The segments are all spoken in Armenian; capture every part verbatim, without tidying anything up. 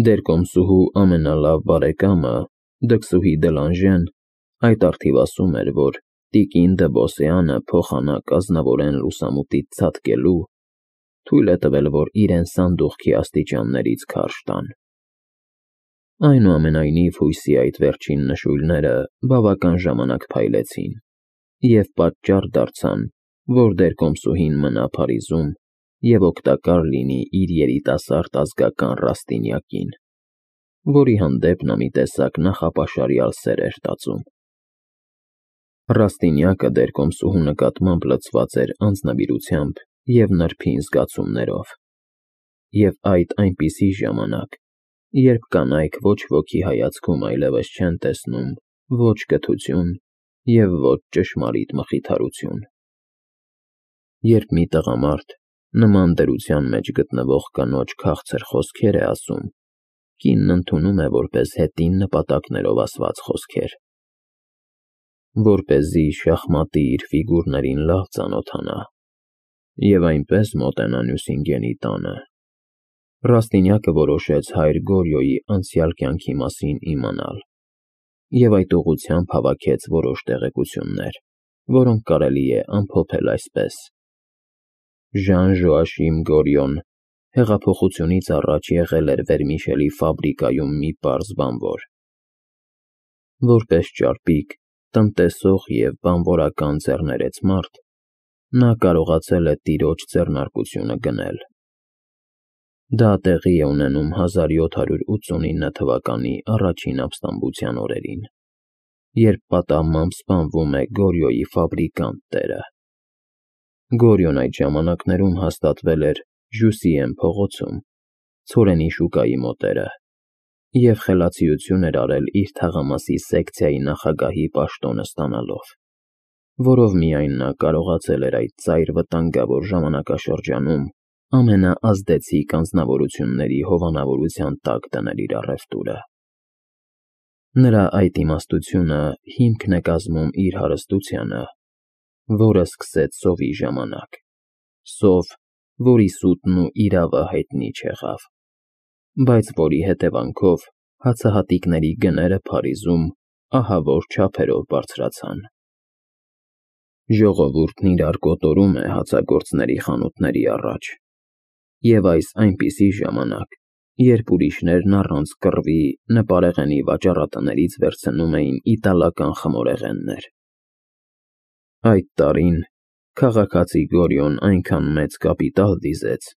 Դեր կոմսուհու ամենալավ բարեկամը Դքսուհի Դելանժեն այդ առթիվ ասում էր, որ տիկին Դըբոսյանը փոխանակ ազնվորեն լուսամուտից ցատկելու թույլ է տվել, որ իրեն սանդուղքի աստիճաններից քարշ տան։ Այնուամենայնիվ հույսի այդ վերջին նշույլները բավական ժամանակ փայլեցին և պատճառ դարձան, որ դեր կոմսուհին մնա Փարիզում և օգտակար լինի իր երիտասարդ ազգական Ռաստինյակին, որի հանդեպ նա մի տեսակ նախապաշարյալ սեր էր տածում։ Ռաստինյակը դեր կոմսուհու նկատմամբ լցված էր անձնվիրությամբ և նրբին զգացումներով, և այդ այնպիսի ժամանակ, երբ կանայք ոչ ոքի հայացքում այլևս չեն տեսնում ոչ կթություն և ոչ ճշմարիտ մխիթարություն։ Երբ մի տղամարդ նման դրության մեջ գտնվող կանոջ քաղցր խոսքեր է ասում, կինն ընդունում է որպես հետին նպատակներով ասված խոսքեր։ Որպեսզի շախմատի իր ֆիգուրներին լավ ծանոթանա և այնպես մոտենա Նյուսինգենի տանը, Ռաստինյակը որոշեց հայր Գորյոյի անցյալ կյանքի մասին իմանալ և այդ ուղղությամբ հավաքեց որոշ տեղեկություններ, որոնք կարելի է ամփոփել այսպես. Ժան Ժոաշիմ Գորյոն հեղափոխությունից առաջ եղել էր վերմիշելի ֆաբրիկայում մի պարզ բանվոր։ Որպես ճարպիկ, տնտեսող և բանվորական ձեռներեց մարդ, նա կարողացել է տիրոջ ձեռնարկությունը գնել։ Դա տեղի է ունենում հազար յոթ հարյուր ութսունինը թվականի առաջին ապստամբության օրերին, երբ պատահմամբ սպանվում է Գորյոյի ֆաբրիկանտ տերը։ Գորյոն այդ ժամանակներում հաստատվել էր Ժուսիեն փողոցում, ցորենի շուկայի մոտերը, և խելացիություն էր արել իր թաղամասի սեկցիայի նախագահի պաշտոնը ստանալով, որով միայն նա կարողացել էր այդ ծայր վտանգավոր ժամանակաշրջանում ամենաազդեցիկ անձնավորությունների հովանավորության տակ դնել իր առևտուրը։ Նրա այդ իմաստությունը հիմքն է կազմում իր հարստությանը, որը սկսեց սովի ժամանակ, սով, որի սուտն ու իրավը հայտնի չեղավ, բայց որի հետևանքով հացահատիկների գները Փարիզում ահավոր չափերով բարձրացան։ Ժողովուրդն իրար կոտորում է հացագործների խանութների առաջ, և այս այնպիսի ժամանակ, երբ ուրիշներն առանց կռվի նպարեղենի վաճառատներից վերցնում էին իտալական խմորեղեններ։ Այդ տարին քաղաքացի Գորյոն այնքան մեծ կապիտալ դիզեց,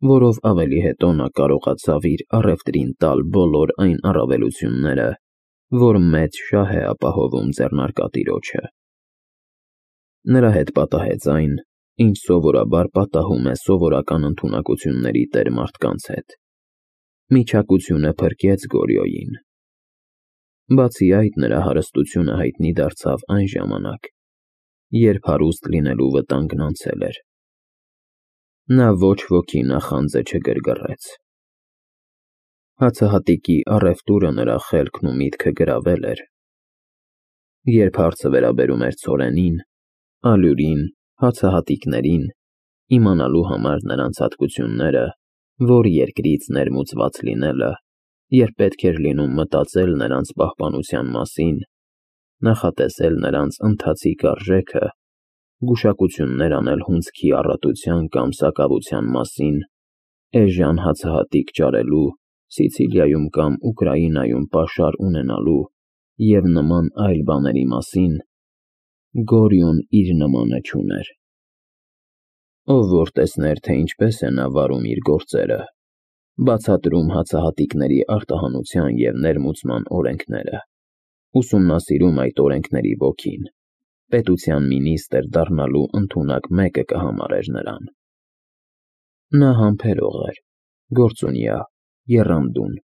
որով ավելի հետո նա կարողացավ իր առևտրին տալ բոլոր այն առավելությունները, որ մեծ շահ է ապահովում ձեռնարկատիրոջը։ Նրա հետ պատահեց այն, ինչ սովորաբար պատահում է սովորական ընդունակությունների տեր մարդկանց հետ. միջակությունը փրկեց Գորյոյին։ Բացի այդ, նրա հարստությունը հայտնի դարձավ այն ժամանակ, երբ հարուստ լինելու վտանգն անցել էր։ Նա ոչ ոքի նախանձը չգրգռեց։ Հացահատիկի առևտուրը նրա խելքն ու միտքը գրավել էր։ Երբ հարցը վերաբերում էր ցորենին, ալյուրին, հացահատիկներին, իմանալու համար նրանց հատկությունները, որ երկրից ներմուծված լինելը, երբ պետք էր լինում մտածել նրանց պահպանության մասին, նախատեսել նրանց ընթացիկ արժեքը, գուշակություններ անել հունձքի առատության կամ սակավության մասին, էժան հացահատիկ ճարելու, Սիցիլիայում կամ Ուկրաինայում պաշար ունենալու և նման այլ բաների մասին, Գորյուն իր նմանը չուներ։ Ով որ տեսներ, թե ինչպես է նա վարում իր գործերը, բացատրում հացահատիկների արտահանության և ներմուծման օրենքները, ուսումնասիրում այդ օրենքների ոգին, պետության մինիստր դառնալու ընդունակ մեկը կհամարեր նրան։ Նա համբերող էր, գործունյա, եռանդուն,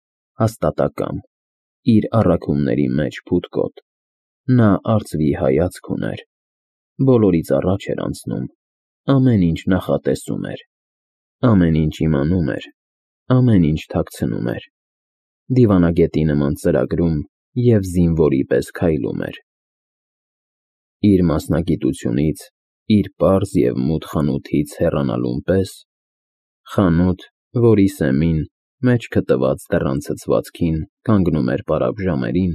հաստատակամ, իր առաքումների մեջ փութկոտ, նա արծվի հայացք ուներ, բոլորից առաջ էր անցնում, ամեն ինչ նախատեսում էր, ամեն ինչ իմանում էր, ամեն ինչ թաքցնում էր, դիվանագետի նման ծրագրում և զինվորի պես քայլում էր։ Իր մասնագիտությունից, իր պարզ և մութ խանութից հեռանալուն պես, խանութ, որի սեմին Մեջքը տված դռան ցցվածքին կանգնում էր պարապ ժամերին,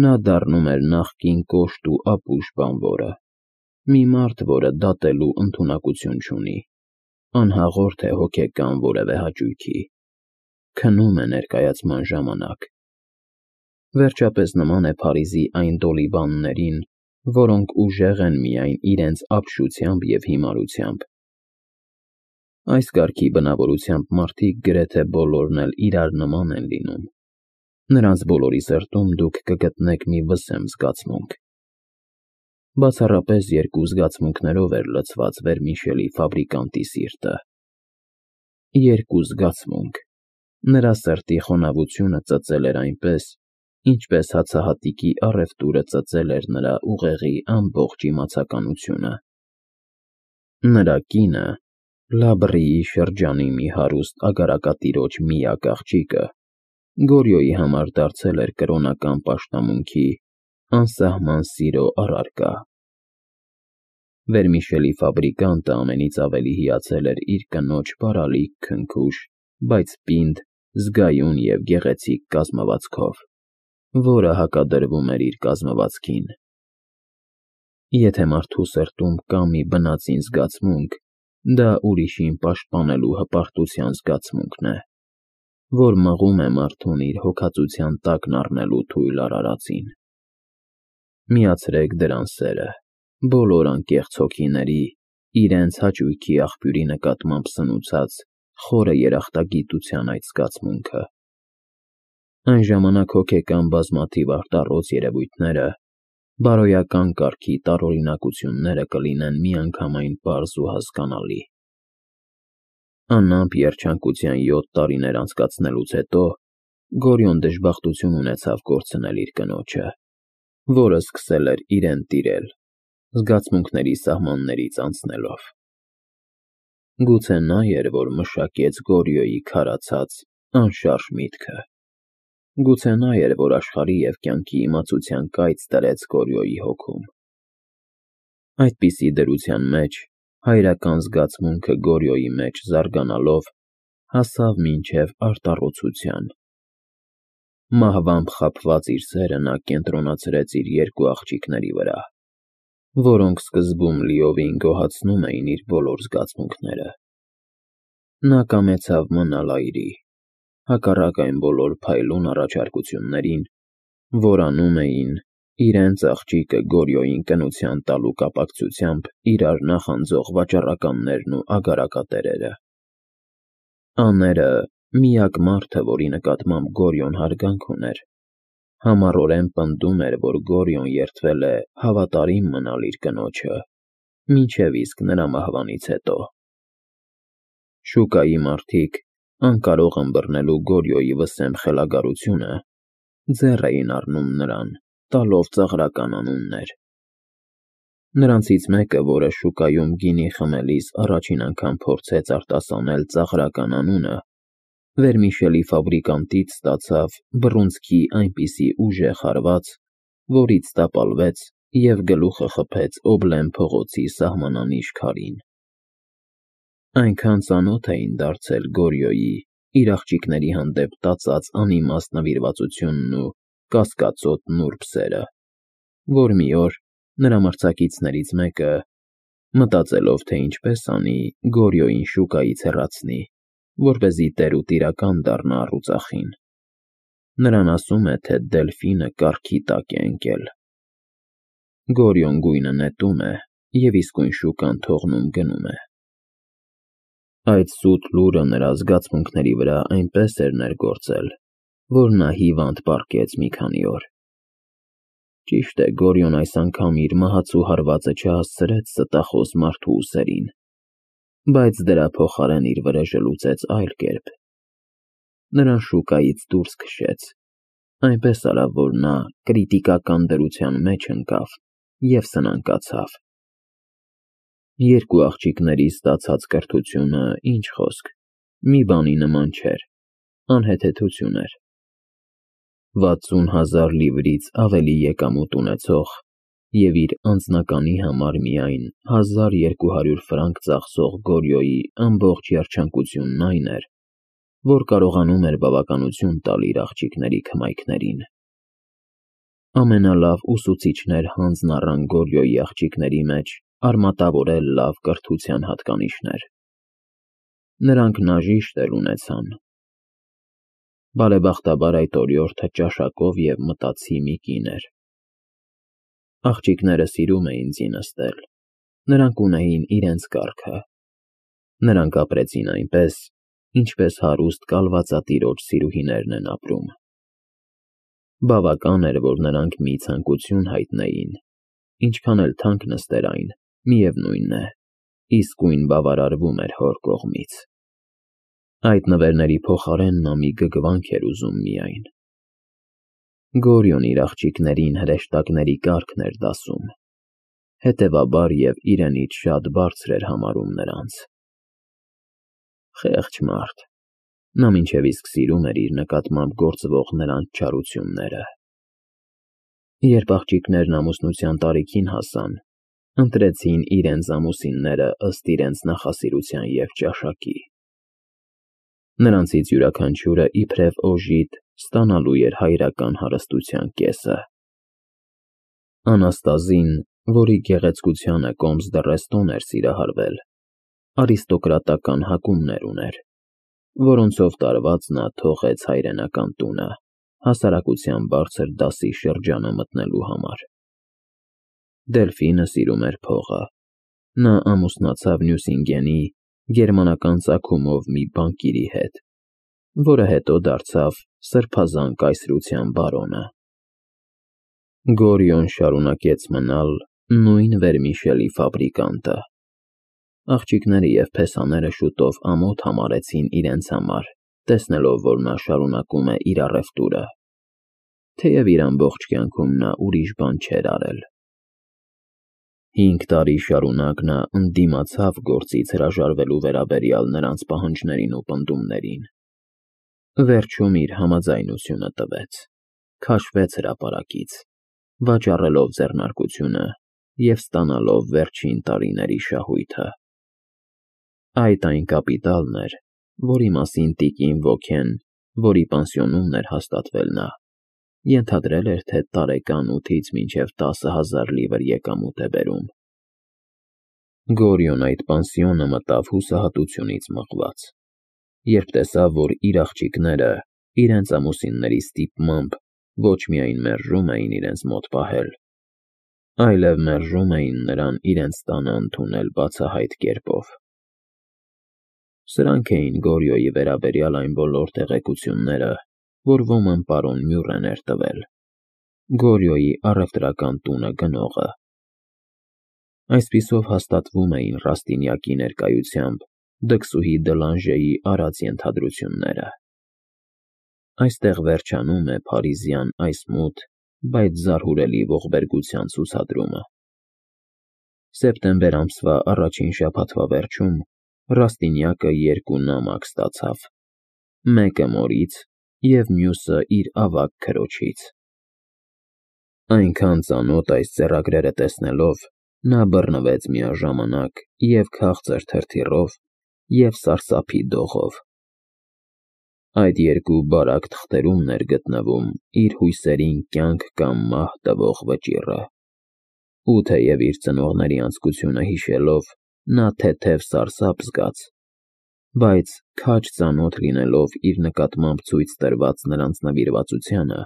նա դառնում էր նախկին կոշտ ու ապուշ բանվորը, մի մարդ, որը դատելու ընդունակություն չունի, անհաղորդ է հոգեկան որևէ հաճույքի, քնում է ներկայացման ժամանակ։ Վերջապես նման է Փարիզի այն դոլիբաններին, որոնք ուժեղ են միայն իրենց ապշությամբ և հիմարությամբ։ Այս կարգի բնավորությամբ մարդիկ գրեթե բոլորն էլ իրար նման են լինում։ Նրանց բոլորի սրտում դուք կգտնեք մի վսեմ զգացմունք։ Բացառապես երկու զգացմունքներով էր լցված վերմիշելի ֆաբրիկանտի սիրտը։ Երկու զգացմունք։ Նրա սրտի խոնավությունը ծծել էր այնպես, ինչպես հացահատիկի առևտուրը ծծել էր նրա ուղեղի ամբողջ իմացականությունը։ Նրա կինը, Լաբրիի շրջանի մի հարուստ ագարակատիրոջ միակ աղջիկը, Գորյոյի համար դարձել էր կրոնական պաշտամունքի, անսահման սիրո առարկա։ Վերմիշելի ֆաբրիկանտը ամենից ավելի հիացել էր իր կնոջ բարալիկ, քնքուշ, բայց պինդ, զգայուն և գեղեցիկ կազմվածքով, որը հակադրվում էր իր կազմվածքին։ Եթե մարդու սրտում կա մի բնածին զգացմունք, դա ուրիշին պաշտպանելու հպարտության զգացմունքն է, որ մղում է մարդուն իր հոգածության տակն առնելու թույլ արարածին։ Միացրեք դրան սերը, բոլոր անկեղծ հոգիների, իրենց հաճույքի աղբյուրի նկատմամբ սնուցած խորը երախտագիտության այդ զգացմունքը։ Այն ժամանակ հոգեկան բազմաթիվ արտառոց երևույթները, բարոյական կարգի տարօրինակությունները կլինեն միանգամայն պարզ ու հասկանալի։ Անամպ երջանկության յոթ տարիներ անցկացնելուց հետո Գորյոն դժբախտություն ունեցավ կորցնել իր կնոջը, որը սկսել էր իրեն տիրել, զգացմունքների սահմաններից անցնելով։ Գուցե նա էր, որ մշակեց Գորյոյի քարացած, անշարժ միտքը։ Գուցե նա էր, որ աշխարհի և կյանքի իմացության կայծ դրեց Գորյոյի հոգում։ Այդպիսի դրության մեջ հայրական զգացմունքը Գորյոյի մեջ զարգանալով հասավ մինչև արտառոցության։ Մահվամբ խաբված իր սերը նա կենտրոնացրեց իր երկու աղջիկների վրա, որոնք սկզբում լիովին գոհացնում էին իր բոլոր զգացմունքները։ Նա կամեցավ մնալ այրի, հակառակ այն բոլոր փայլուն առաջարկություններին, որ անում էին, իրենց աղջիկը Գորյոյին կնության տալու կապակցությամբ իրար նախանձող վաճառականներն ու ագարակատերերը։ Աները, միակ մարդը, որի նկատմամբ Գորյոն հարգանք ուներ, համառորեն պնդում էր, որ Գորյոն երդվել է հավատարիմ մնալ իր կնոջը, մինչև իսկ նրա մահվանից հետո։ Շուկայի մարդիկ, անկարող ըմբռնելու Գորյոյի վսեմ խելագարությունը, ձեռ էին առնում նրան, տալով ծաղրական անուններ։ Նրանցից մեկը, որը շուկայում գինի խմելիս առաջին անգամ փորձեց արտասանել ծաղրական անունը, վերմիշելի ֆաբրիկանտից ստացավ բռունցքի այնպիսի ուժեղ հարված, որից տապալվեց և գլուխը խփեց Օբլեն փողոցի սահմանանիշ քարին։ Այնքան ծանոթ էին դարձել Գորյոյի, իր աղջիկների հանդեպ տածած անիմաստ նվիրվածությունն ու կասկածոտ նուրբ սերը, որ մի օր նրա մրցակիցներից մեկը, մտածելով, թե ինչպես անի Գորյոյին շուկայից հեռացնի, որպեսզի տեր ու տիրական դառնա առուծախին, նրան ասում է, թե Դելֆինը կառքի տակ է ընկել։ Գորյոն գույնը նետում է և իսկույն շուկան թողնում֊գնում է։ Այդ սուտ լուրը նրա զգացմունքների վրա այնպես էր ներգործել, որ նա հիվանդ պառկեց մի քանի օր։ Ճիշտ է, Գորյոն այս անգամ իր մահացու հարվածը չհասցրեց ստախոս մարդու ուսերին, բայց դրա փոխարեն իր վրեժը լուծեց այլ կերպ։ Նրան շուկայից դուրս քշեց, այնպես արավ, որ նա կրիտիկական դրության մեջ ընկավ և սնանկացավ։ Երկու աղջիկների ստացած կրթությունը, ինչ խոսք, մի բանի նման չէր, անհեթեթություն էր։ Վաթսուն հազար լիվրից ավելի եկամուտ ունեցող և իր անձնականի համար միայն հազար երկու հարյուր ֆրանկ ծախսող Գորյոյի ամբողջ երջանկությունն այն էր, որ կարողանում էր բավականություն տալ իր աղջիկների քմայքներին։ Ամենալավ ուսուցիչներ հանձն առան Գորյոյի աղջիկների մեջ արմատավորել լավ կրթության հատկանիշներ։ Նրանք նաժիշտ էլ ունեցան։ Բարեբախտաբար այդ օրիորդը ճաշակով և մտածի մի կին էր։ Աղջիկները սիրում էին զինստել, նրանք ունեին իրենց կարգը։ Նրանք ապրեցին այնպես, ինչպես հարուստ կալվածատիրոջ սիրուհիներն են ապրում։ Բավական էր, որ նրանք մի ցանկություն հայտնեին, ինչքան էլ թանկ նստեր այն, միևնույն է, իսկույն բավարարվում էր հոր կողմից։ Այդ նվերների փոխարեն նա մի գգվանք էր ուզում միայն։ Գորյոն իր աղջիկներին հրեշտակների կարգն էր դասում, հետևաբար և իրենից շատ բարձր էր համարում նրանց։ Խեղճ մարդ, նա մինչև իսկ սիրում էր իր նկատմամբ գործվող նրանց չարությունները։ Երբ աղջիկներն ամուսնության տարիքին հասան, ընտրեցին իրենց ամուսինները ըստ իրենց նախասիրության և ճաշակի։ Նրանցից յուրաքանչյուրը իբրև օժիտ ստանալու էր հայրական հարստության կեսը։ Անաստազին, որի գեղեցկությանը կոմս դռեստոն էր սիրահարվել, արիստոկրատական հակումներ ուներ, որոնցով տարված նա թողեց հայրենական տունը, հասարակության բարձր դասի շրջանը մտնելու համար։ Դելֆինը սիրում էր փողը։ Նա ամուսնացավ Նյուսինգենի գերմանական ծագումով մի բանկիրի հետ, որը հետո դարձավ սրբազան կայսրության բարոնը։ Գորյոն շարունակեց մնալ նույն վերմիշելի ֆաբրիկանտը։ Աղջիկները և փեսաները շուտով ամոթ համարեցին իրենց համար, տեսնելով, որ նա շարունակում է իր առևտուրը, թեև իր ամբողջ կյանքում նա ուրիշ բան չէր արել։ Հինգ տարի շարունակ նա ընդդիմացավ գործից հրաժարվելու վերաբերյալ նրանց պահանջներին ու պնդումներին։ Վերջում իր համաձայնությունը տվեց, քաշվեց հրապարակից, վաճառելով ձեռնարկությունը և ստանալով վերջին տարիների շահույթը։ Այդ այն կապիտալն էր, որի մասին տիկին Վոքեն, որի պանսիոնում էր հաստատվել նա, ենթադրել էր, թե տարեկան ութից մինչև տասը հազար լիվր եկամուտ է բերում։ Գորյոն այդ պանսիոնը մտավ հուսահատությունից մղված, երբ տեսավ, որ իր աղջիկները իրենց ամուսինների ստիպմամբ ոչ միայն մերժում էին իրենց մոտ պահել, այլև մերժում էին նրան իրենց տանը ընդունել բացահայտ կերպով։ Սրանք էին Գորյոյի վերաբերյալ այն բոլոր տեղեկությունները, որ ոմն պարոն Մյուրեն էր տվել, Գորյոյի առևտրական տունը գնողը։ Այսպիսով հաստատվում էին Ռաստինյակի ներկայությամբ դքսուհի Դլանժեի արած ենթադրությունները։ Այստեղ վերջանում է փարիզյան այս մութ, բայց զարհուրելի ողբերգության ցուցադրումը։ Սեպտեմբեր ամսվա առաջին շաբաթվա վերջում Ռաստինյակը երկու նամակ ստացավ, մեկը մորից և մյուսը իր ավագ քրոջից։ Այնքան ծանոթ այս ձեռագրերը տեսնելով, նա բռնվեց միաժամանակ և քաղցր թրթիռով, և սարսափի դողով։ Այդ երկու բարակ թղթերումն էր գտնվում իր հույսերին կյանք կամ մահ տվող վճիռը, ու թեև իր ծնողների անձկությունը հիշելով, նա թեթև սարսափ զգաց, բայց քաջ ծանոթ լինելով իր նկատմամբ ցույց տրված նրանց նվիրվածությանը,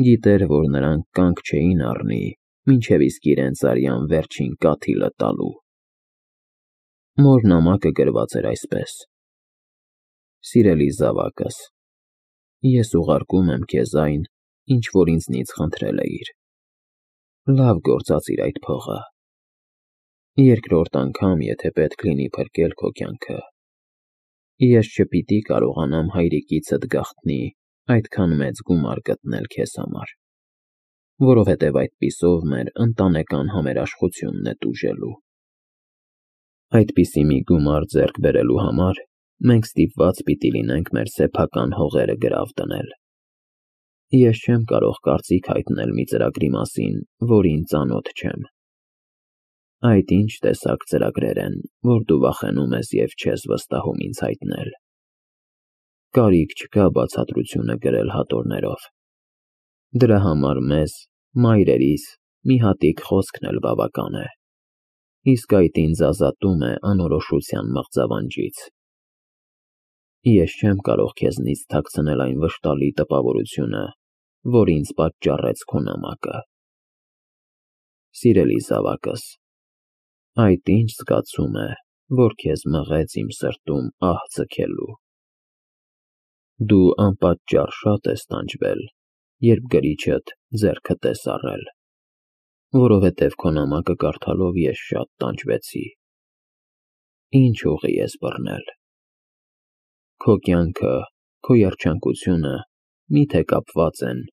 գիտեր, որ նրանք կանգ չէին առնի, մինչև իսկ իրենց արյան վերջին կաթիլը տալու։ Մոր նամակը գրված էր այսպես. «Սիրելի զավակս, ես ուղարկում եմ քեզ այն, ինչ որ ինձնից խնդրել էիր։ Լավ գործածիր այդ փողը։ Երկրորդ անգամ, եթե պետք լինի փրկել քո կյանքը, ես չպիտի կարողանամ հայրիկիցդ գաղտնի այդքան մեծ գումար գտնել քեզ համար, որովհետև այդպիսով մեր ընտանեկան համերաշխությունն է տուժելու։ Այդպիսի մի գումար ձեռք բերելու համար մենք ստիպված պիտի լինենք մեր սեփական հողերը գրավ դնել։ Ես չեմ կարող կարծիք հայտնել մի ծրագրի մասին, որին ծանոթ չեմ։ Այդ ինչ տեսակ ծրագրեր են, որ դու վախենում ես և չես վստահում ինձ հայտնել։ Կարիք չկա բացատրությունը գրել հատորներով։ Դրա համար մեզ, մայրերիս, մի հատիկ խոսքն էլ բավական է, իսկ այդ ինձ ազատում է անորոշության մղձավանջից։ Ես չեմ կարող քեզնից թաքցնել այն վշտալի տպավորությունը, որ ինձ պատճառեց քո նամակը։ Սիրելի զավակս, այդ ինչ զգացում է, որ քեզ մղեց իմ սրտում ահ ձգելու։ Դու անպատճառ շատ ես տանջվել, երբ գրիչդ ձեռքդ ես առել, որովհետև քո նամակը կարդալով ես շատ տանջվեցի։ Ինչ ուղի ես բռնել։ Քո կյանքը, քո երջանկությունը մի՞թե կապված են,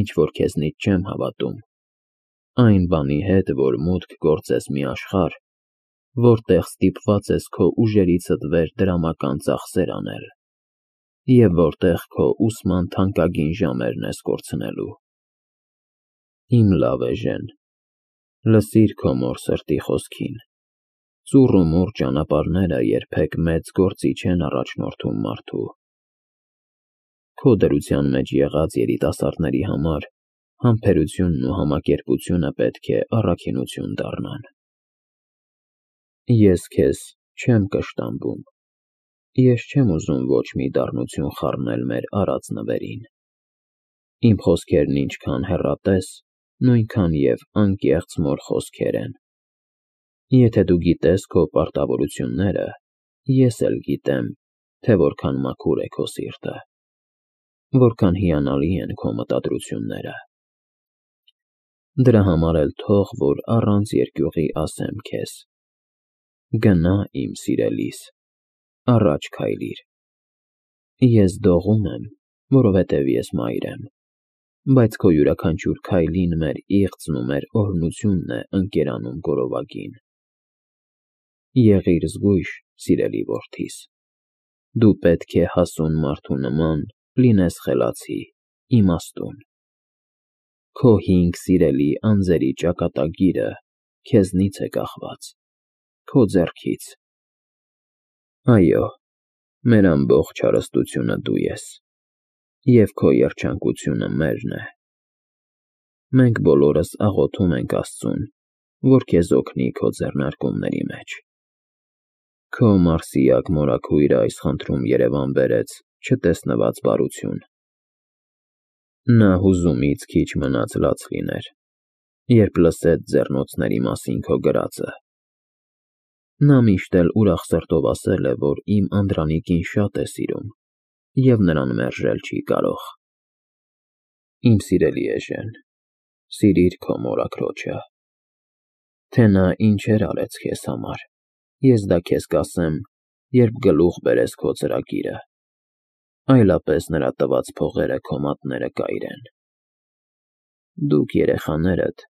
ինչ որ քեզնից չեմ հավատում, այն բանի հետ, որ մուտք գործես մի աշխարհ, որտեղ ստիպված ես քո ուժերիցդ վեր դրամական ծախսեր անել, և որտեղ քո ուսման թանկագին ժամերն ես կորցնելու։ Իմ լավ էժեն, լսիր քո մոր սրտի խոսքին։ Ծուռ ու մուռ ճանապարհները երբեք մեծ գործի չեն առաջնորդում մարդու։ Քո դրության մեջ եղած երիտասարդների համար համբերությունն ու համակերպությունը պետք է առաքինություն դառնան։ Ես քեզ չեմ կշտամբում, ես չեմ ուզում ոչ մի դառնություն խառնել մեր արած նվերին։ Իմ խոսքերն ինչքան հեռատես, նույնքան և անկեղծ մոր խոսքեր են։ Եթե դու գիտես քո պարտավորությունները, ես էլ գիտեմ, թե որքան մաքուր է քո սիրտը, որքան հիանալի են քո մտադրությունները։ Դրա համար էլ թող, որ առանց երկյուղի ասեմ քեզ. գնա, իմ սիրելիս, առաջ քայլիր։ Ես դողում եմ, որովհետև ես մայր եմ, բայց քո յուրաքանչյուր քայլին մեր իղձն ու մեր օրհնությունն է ընկերանում գորովագին։ Եղիր զգույշ, սիրելի որդիս, դու պետք է հասուն մարդու նման լինես խելացի, իմաստուն։ Քո հինգ սիրելի անձերի ճակատագիրը քեզնից է կախված, քո ձեռքից։ Այո, մեր ամբողջ հարստությունը դու ես, և քո երջանկությունը մերն է։ Մենք բոլորս աղոթում ենք Աստծուն, որ քեզ օգնի քո ձեռնարկումների մեջ։ Քո մարսիակ մորաքույրը այս խնդրում երևան բերեց չտեսնված բարություն։ Նա հուզումից քիչ մնաց լաց լիներ, երբ լսեց ձեռնոցների մասին քո գրածը։ Նա միշտ էլ ուրախ սրտով ասել է, որ իմ անդրանիկին շատ է սիրում և նրան մերժել չի կարող։ Իմ սիրելի էժեն, սիրիր քո մորաքրոջը։ Թե նա ինչեր արեց քեզ համար, ես դա քեզ կասեմ, երբ գլուխ բերես քո ծրագիրը, այլապես նրա տված փողերը քո մատները կայրեն։ Դուք, երեխաներդ,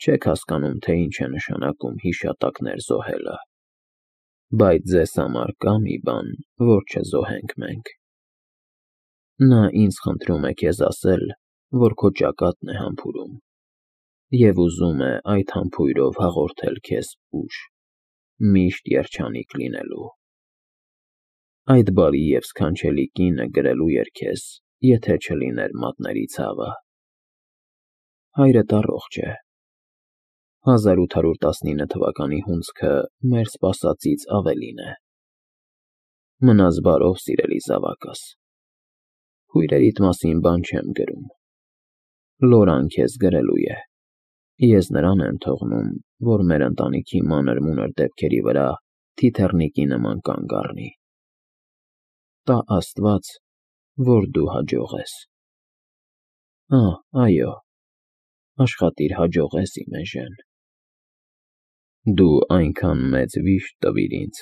չեք հասկանում, թե ինչ է նշանակում հիշատակներ զոհելը, բայց ձեզ համար կա մի բան, որ չզոհենք մենք։ Նա ինձ խնդրում է քեզ ասել, որ քո ճակատն է համբուրում և ուզում է այդ համբույրով հաղորդել քեզ ուժ, միշտ երջանիկ լինելու։ Այդ բարի և սքանչելի կինը գրելու էր քեզ, եթե չլիներ մատների ցավը։ Հայրդ առողջ է։ հազար ութ հարյուր տասնինը թվականի հունձքը մեր սպասածից ավելին է։ Մնաս բարով, սիրելի զավակս։ Քույրերիդ մասին բան չեմ գրում։ Լորան քեզ գրելու է։ Ես նրան եմ թողնում, որ մեր ընտանիքի մանր-մունր դեպքերի վրա թիթեռնիկի նման կանգ առնի։ Տա Աստված, որ դու հաջողես։ Ահ, այո, աշխատիր հաջողես, իմ էժեն։ Դու այնքան մեծ վիշտ տվիր ինձ,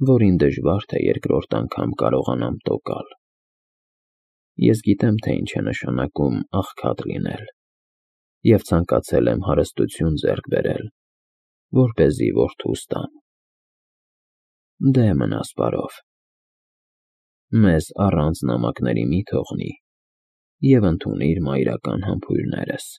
որին դժվար թե երկրորդ անգամ կարողանամ տոկալ։ Ես գիտեմ, թե ինչ է նշանակում աղքատ լինել, և ցանկացել եմ հարստություն ձեռք բերել, որպեսզի որդուս տամ։ Դե մնաս բարով։ Մեզ առանց նամակների մի թողնի և ընդունիր մայրական համբույրներս։